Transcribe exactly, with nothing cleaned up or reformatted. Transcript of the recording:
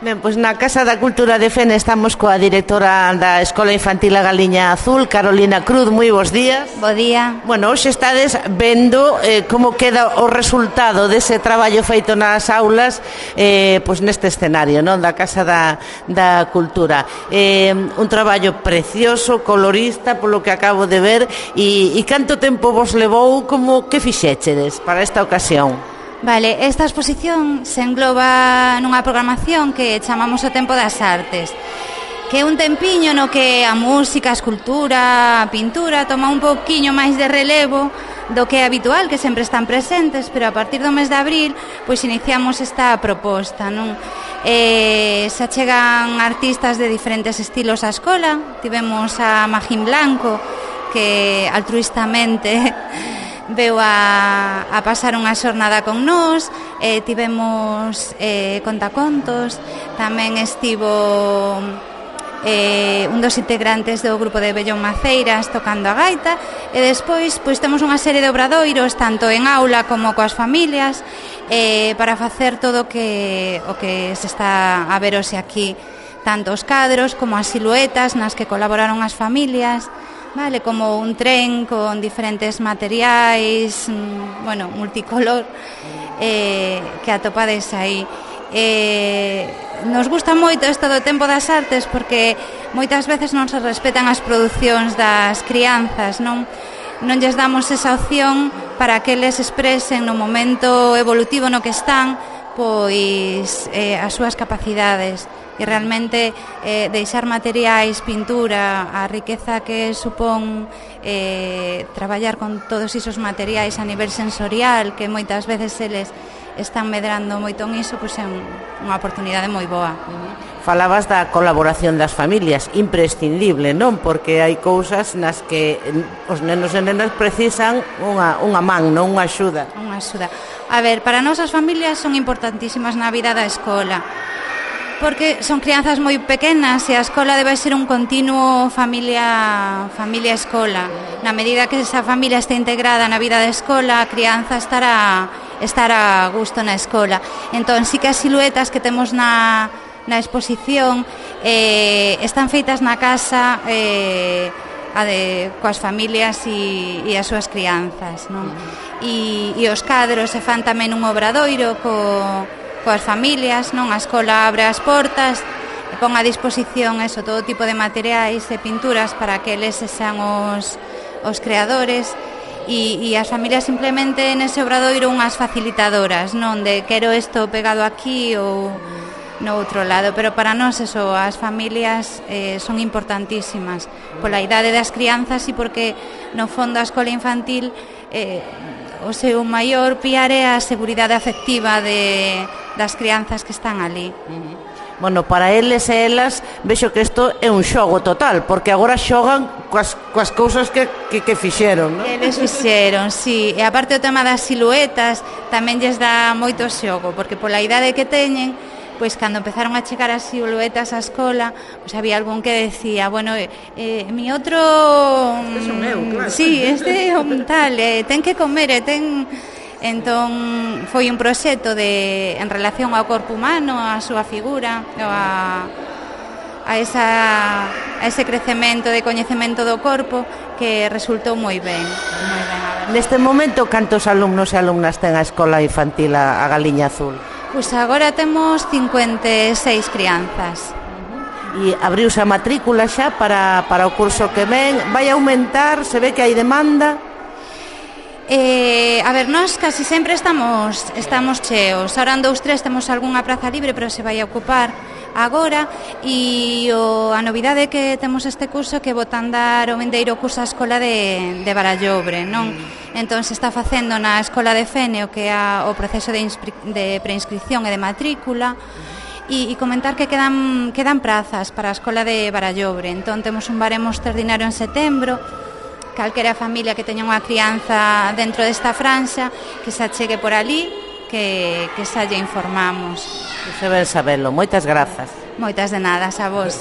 Ben, pois na Casa da Cultura de Fene estamos coa directora da Escola Infantil A Galiña Azul, Carolina Cruz. Moi bons días. Bo día. Bueno, hoxe estades vendo eh, como queda o resultado dese traballo feito nas aulas eh, pois neste escenario, non, da Casa da, da Cultura. Eh, un traballo precioso, colorista, polo que acabo de ver, e, e canto tempo vos levou, como que fixéchedes para esta ocasión? Vale, esta exposición se engloba nunha programación que chamamos o Tempo das Artes, que é un tempiño no que a música, a escultura, a pintura toma un poquinho máis de relevo do que é habitual, que sempre están presentes, pero a partir do mes de abril pois iniciamos esta proposta, non? Eh, se chegan artistas de diferentes estilos á escola. Tivemos a Magín Blanco, que altruistamente veu a, a pasar unha xornada con nós. eh, tivemos eh, contacontos, tamén estivo eh, un dos integrantes do grupo de Bellón Maceiras tocando a gaita, e despois pois temos unha serie de obradoiros tanto en aula como coas familias eh, para facer todo o que, o que se está a ver hoxe aquí, tanto os cadros como as siluetas nas que colaboraron as familias. Vale, como un tren con diferentes materiais, bueno, multicolor, eh, que atopades aí. Eh, nos gusta moito isto do Tempo das Artes porque moitas veces non se respetan as producións das crianzas, non? Non lles damos esa opción para que les expresen no momento evolutivo no que están, pois eh, as súas capacidades. E realmente eh, deixar materiais, pintura, a riqueza que supón eh, traballar con todos esos materiais a nivel sensorial, que moitas veces eles están medrando moito en iso, pois é un, unha oportunidade moi boa. Falabas da colaboración das familias, imprescindible, non? Porque hai cousas nas que os nenos e nenas precisan unha, unha man, non unha axuda. Unha axuda. A ver, para nós as familias son importantísimas na vida da escola, porque son crianzas moi pequenas e a escola debe ser un continuo familia familia escola. Na medida que esa familia este integrada na vida da escola, a crianza estará estará a gusto na escola. Entón, sí que as siluetas que temos na na exposición eh, están feitas na casa eh, a de, coas familias e, e as súas crianzas, non? E, e os cadros se fan tamén un obradoiro co coas familias, non? A escola abre as portas e pon a disposición eso, todo tipo de materiais e pinturas para que eles sexan os, os creadores, e, e as familias simplemente nese obradoiro unhas facilitadoras, non? De quero isto pegado aquí ou no outro lado, pero para nós eso, as familias eh, son importantísimas pola idade das crianzas e porque no fondo a escola infantil eh, o seu maior piar é a seguridade afectiva de, das crianzas que están ali. Uh-huh. Bueno, para eles e elas vexo que isto é un xogo total, porque agora xogan coas, coas cousas que, que, que fixeron, non? Que eles fixeron, sí. E aparte o tema das siluetas tamén lles dá moito xogo, porque pola idade que teñen, pois cando empezaron a chegar as siluetas á escola, pois había algún que decía, bueno, eh, eh, mi outro... Este son eu, claro. Sí, este é un tal, eh, ten que comer, e ten... Entón, foi un proxecto de, en relación ao corpo humano, a súa figura, a, a, esa, a ese crecemento de coñecemento do corpo que resultou moi ben, moi ben. Neste momento, cantos alumnos e alumnas ten a Escola Infantil A Galiña Azul? Pois agora temos cincuenta e seis crianzas. E abriuse a matrícula xa para, para o curso que ven. Vai aumentar? Se ve que hai demanda? Eh, a ver, nós casi sempre estamos estamos cheos. Ahora en dous, tres temos algunha praza libre, pero se vai a ocupar agora. E o, a novidade que temos este curso que botan dar o vindeiro curso a escola de, de Barallobre, non? Entón se está facendo na escola de Fene o que é a, o proceso de, de preinscripción e de matrícula. E, e comentar que quedan, quedan prazas para a escola de Barallobre. Entón temos un baremo extraordinario en setembro. Calquera familia que teña unha crianza dentro desta franxa que se achegue por ali, que, que xa lle informamos. Se ben sabelo. Moitas grazas. Moitas de nada, a vos.